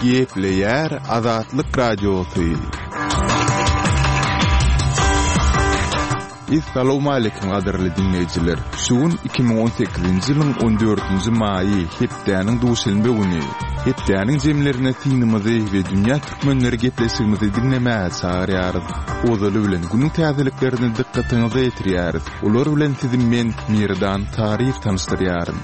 Gepleýär Azatlyk Radiosy. Essalawmaleýkim gadyrly diňleýjiler! Şu gün 2018-nji ýylyň on dördünji maýy, hepdäniň duşenbe güni. Hepdäniň jemlerine synymyzy we Dünýä türkmenleri gepleşigimizi diňlemäge çagyrýarys. Ozaly bilen günüň täzeliklerini dykgatyňyza ýetirýäris. Olar bilen sizi men, Merdan Taryýew tanyşdyrýaryn.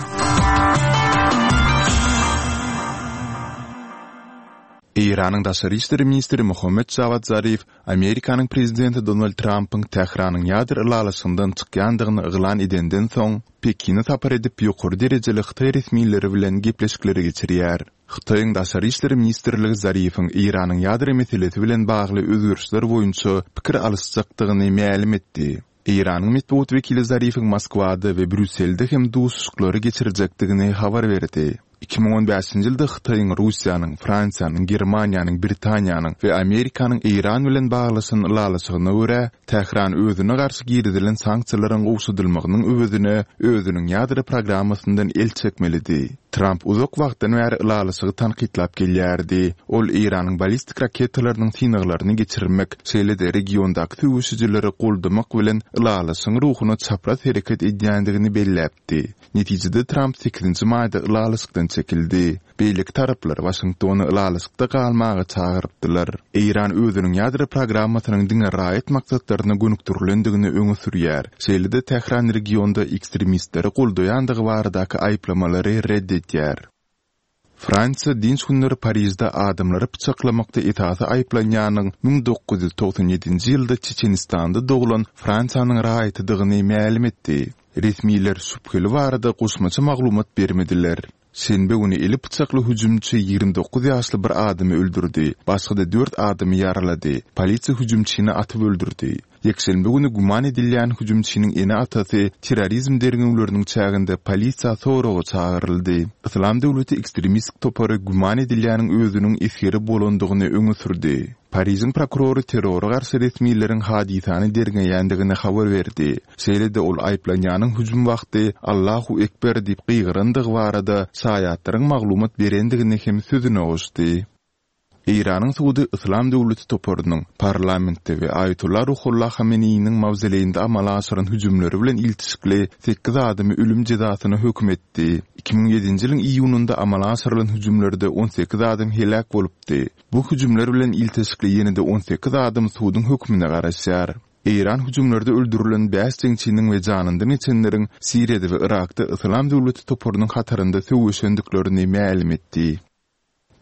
Eýranyň daşary işler ministri Mohammed Jawad Zarif Amerikanyň prezidenti Donald Trampyň Tähranyň ýadro ylalaşygyndan çykýandygyny yglan edenden soň, Pekine sapar edip, ýokary derejeli hytaý resmileri bilen gepleşikleri geçirýär. Hytaýyň Daşary işler ministrligi Zarifiň Eýranyň ýadro meselesi bilen bagly özgerişler boýunça pikir alyşjakdygyny mälim etdi. Eýranyň metbugat wekili Zarifiň Moskwada we Brýusselde hem duşuşyklary geçirjekdigini habar berdi. 2015-nji ýylda Hytaýyň, Russiýanyň, Fransiýanyň, Germaniýanyň, Britaniýanyň we Amerikanyň Eýran bilen baglaşan ylalaşygyna görä, Tähran özüne garşy girizilen sanksiýalaryň gowşadylmagynyň öwezine özüniň ýadro programmasyndan el çekmelidi. Tramp uzak wagtdan bäri ylalaşygy tankytlap gelýärdi. Ol Eýranyň ballistik raketalarynyň synaglaryny geçirmek, şeýle-de regiondaky söweşijileri goldamak bilen ylalaşygyň ruhuna çapraz hereket edýändigini belläpdi. Netijede Tramp sekizinji maýda ylalaşykdan çekildi. Beýleki taraplar Waşingtony ylalaşykda galmaga çagyrypdylar. Eýran özüniň ýadro programmasynyň diňe raýat maksatlaryna gönükdirilendigini öňe sürýär. Şeýle-de Tähran regionda ekstremistleri goldaýandygy baradaky aýyplamalary red edýär. Fransiýa dynç günleri Parižde adamlary pyçaklamakda esasy aýyplanýanyň 1997-nji ýylda Çeçenistanda doglan Fransiýanyň raýatydygyny mälim etdi. Resmiler şübheli barada goşmaça maglumat bermediler. Şenbe güni eli pyçakly hüjümçi 29 ýaşly bir adamy öldürdi, başga-da dört adamy ýaralady. Polisiýa hüjümçini atyp öldürdi. Ýekşenbe güni güman edilýän hüjümçiniň ene-atasy terrorizm derňewleriniň çäginde polisiýa soraga çagyryldy. Yslam döwleti ekstremistik topary güman edilýäniň özüniň esgeri bolandygyny öňe sürdi. Parižiň prokurory terrora garşy resmileriň hadysany derňeýändigini habar berdi. Şeýle-de ol aýyplanýanyň hüjüm wagty Allahu Ekber diýip gygyrandygy barada şaýatlaryň maglumat berendigini hem sözüne goşdy. Eýranyň sudy Yslam döwleti toparynyň parlamentde we Aýatolla Ruhollah Hameneýiniň mawzoleýinde amala aşyran hüjümleri bilen ilteşikli sekiz adamy ölüm jezasyna höküm etdi. 2007-nji ýylyň iýunynda amala aşyrylan hüjümlerde 18 adam heläk bolupdy. Bu hüjümler bilen ilteşikli ýene-de 18 adam suduň hökümine garaşýar. Eýran hüjümlerde öldürilen bäş jeňçiniň we janyndan geçenleriň Siriýada we Yrakda Yslam döwleti toparynyň hatarynda söweşendiklerini mälim etdi.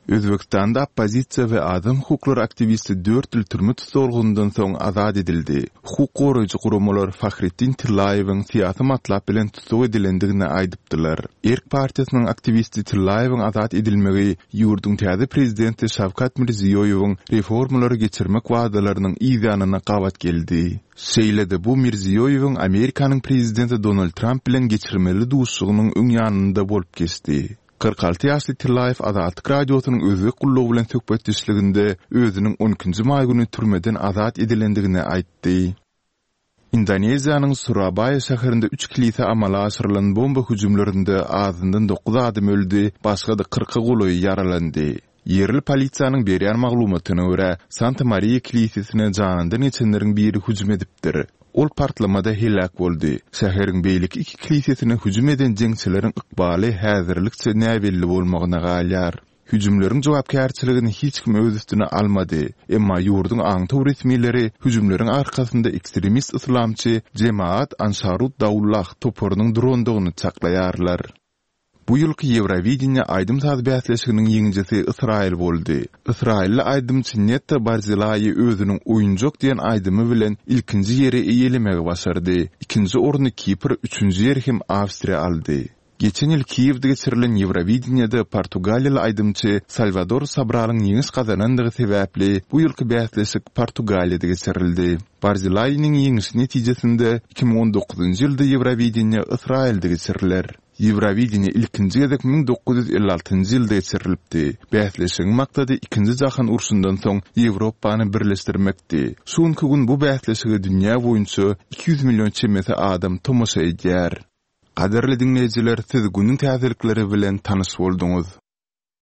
Özbegistanda oppozisiýa we adam hukuklary aktiwisti dört ýyl türme tussaglygyndan soň azat edildi. Hukuk goraýjy guramalar Fahretdin Tillaýewiň syýasy matlap bilen tussag edilendigini aýdypdylar. Erk partiýasynyň aktiwisti Tillaýewiň azat edilmegi ýurduň täze prezidenti Şawkat Mirziýoýewiň reformalary geçirmek wadalarynyň yzýanyna gabat geldi. Şeýle-de bu Mirziýoýewiň Amerikanyň prezidenti Donald Tramp bilen geçirmeli duşuşygynyň öň ýanynda bolup geçdi. 46 ýaşly Tillaýew Azatlyk Radiosynyň Özbek gullugy bilen söhbetdeşliginde özüniň on ikinji maý güni türmeden azat edilendigini aýtdy. Indoneziýanyň Surabaýa şäherinde üç kilisä amala aşyrylan bomba hüjümlerinde azyndan dokuz adam öldi, başga-da kyrka golaýy ýaralandy. Ýerli polisiýanyň berýän maglumatyna görä, Santa Mariýa kilisesine janyndan geçenleriň biri hüjüm edipdir. Ol partlamada heläk boldy. Şäheriň beýleki iki kilisesine hüjüm eden jeňçileriň ykbaly häzirlikçe näbelli bolmagyna galýar. Hüjümleriň jogapkärçiligini hiç kim öz üstüne almady. Emma ýurduň aňtaw resmileri hüjümleriň arkasynda ekstremist yslamçy Jemaat Ansarut Daullah toparynyň durandygyny çaklaýarlar. Bu ýylky Ýewrowideniýe aýdym-saz bäsleşiginiň ýeňijisi Ysraýyl boldy. Ysraýylly aýdymçy Netta Barzilaýi özüniň Oýunjak diýen aýdymy bilen ilkinji ýeri eýelemegi başardy. Ikinji orny Kipr, üçünji ýeri hem Awstriýa aldy. Geçen ýyl Kiýewde geçirilen Ýewrowideniýede portugaliýaly aýdymçy Salwador Sobralyň ýeňiş gazanandygy sebäpli bu ýylky bäsleşik Portugaliýada geçirildi. Barzilaýiniň ýeňişi netijesinde 2019-njy ýylda Ýewrowideniýe Ysraýylda geçiriler. Ýewrowideniýe ilkinji gezek 1956-njy ýylda geçirilipdi. Bäsleşigiň maksady Ikinji jahan urşundan soň Ýewropany birleşdirmekdi. Şu günki gün bu bäsleşige dünýä boýunça 200 million çemesi adam tomaşa edýär. Gadyrly diňleýjiler, siz günüň täzelikleri bilen tanyş bolduňyz.